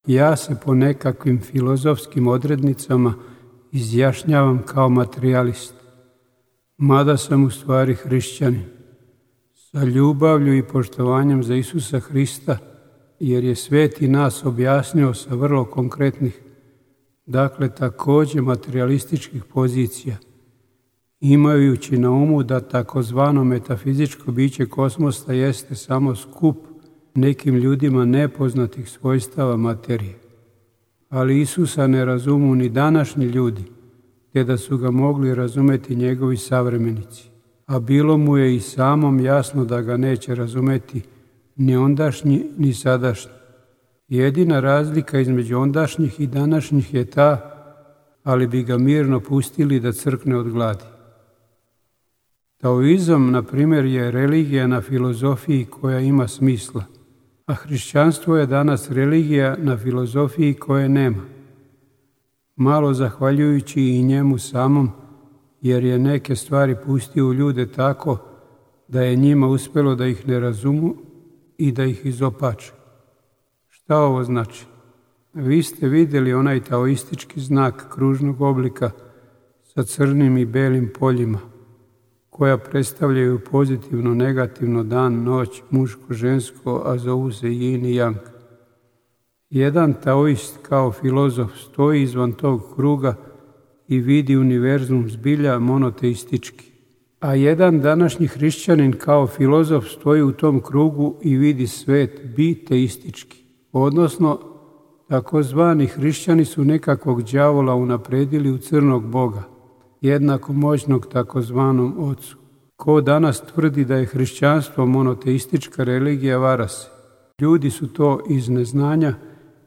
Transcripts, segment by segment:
Ja se po nekakvim filozofskim odrednicama izjašnjavam kao materijalist, mada sam u stvari hrišćanin, sa ljubavlju i poštovanjem za Isusa Hrista, jer je sveti nas objasnio sa vrlo konkretnih, dakle također materialističkih pozicija, imajući na umu da takozvano metafizičko biće kosmosa jeste samo skup nekim ljudima nepoznatih svojstava materije. Ali Isusa ne razumu ni današnji ljudi, te da su ga mogli razumeti njegovi savremenici, a bilo mu je i samom jasno da ga neće razumeti ni ondašnji ni sadašnji. Jedina razlika između ondašnjih i današnjih je ta, ali bi ga mirno pustili da crkne od gladi. Taoizam, na primjer, je religija na filozofiji koja ima smisla, a hrišćanstvo je danas religija na filozofiji koje nema. Malo zahvaljujući i njemu samom, jer je neke stvari pustio u ljude tako da je njima uspjelo da ih ne razumu i da ih izopače. Šta ovo znači? Vi ste vidjeli onaj taoistički znak kružnog oblika sa crnim i belim poljima, koja predstavljaju pozitivno, negativno, dan, noć, muško, žensko, a zovu se yin i yang. Jedan taoist kao filozof stoji izvan tog kruga i vidi univerzum zbilja monoteistički, a jedan današnji hrišćanin kao filozof stoji u tom krugu i vidi svet biteistički, odnosno takozvani hrišćani su nekakvog đavola unapredili u crnog Boga, jednako moćnog takozvanom ocu. Ko danas tvrdi da je hrišćanstvo monoteistička religija, vara se. Ljudi su to iz neznanja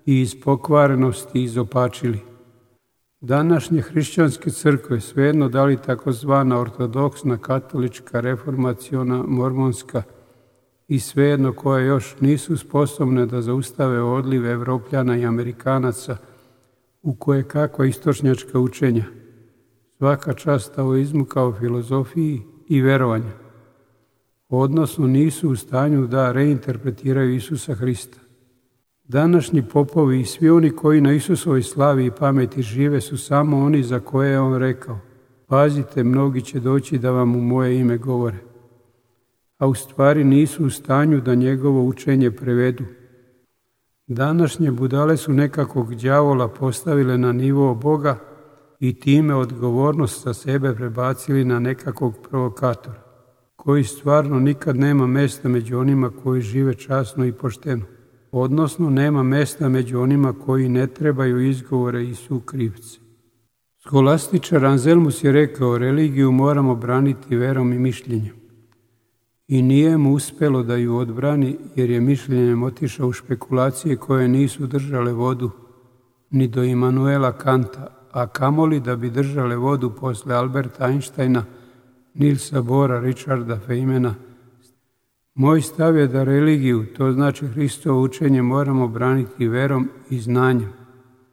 i iz pokvarenosti izopačili. Današnje hrišćanske crkve, svejedno da li takozvana ortodoksna, katolička, reformaciona, mormonska i svejedno koje još nisu sposobne da zaustave odliv Evropljana i Amerikanaca u koje kakva istočnjačka učenja. Svaka čast taoizmu kao filozofiji i verovanju, odnosno nisu u stanju da reinterpretiraju Isusa Hrista. Današnji popovi i svi oni koji na Isusovoj slavi i pameti žive su samo oni za koje je on rekao: pazite, mnogi će doći da vam u moje ime govore, a u stvari nisu u stanju da njegovo učenje prevedu. Današnje budale su nekakvog đavola postavile na nivo Boga i time odgovornost sa sebe prebacili na nekakvog provokatora, koji stvarno nikad nema mjesta među onima koji žive časno i pošteno, odnosno nema mjesta među onima koji ne trebaju izgovore i su krivci. Skolastičar Anselmus je rekao: religiju moramo braniti verom i mišljenjem. I nije mu uspjelo da ju odbrani, jer je mišljenjem otišao u špekulacije koje nisu držale vodu ni do Immanuela Kanta, a kamoli da bi držale vodu posle Alberta Einsteina, Nilsa Bohra, Richarda Feynmana. Moj stav je da religiju, to znači Hristovo učenje, moramo braniti verom i znanjem.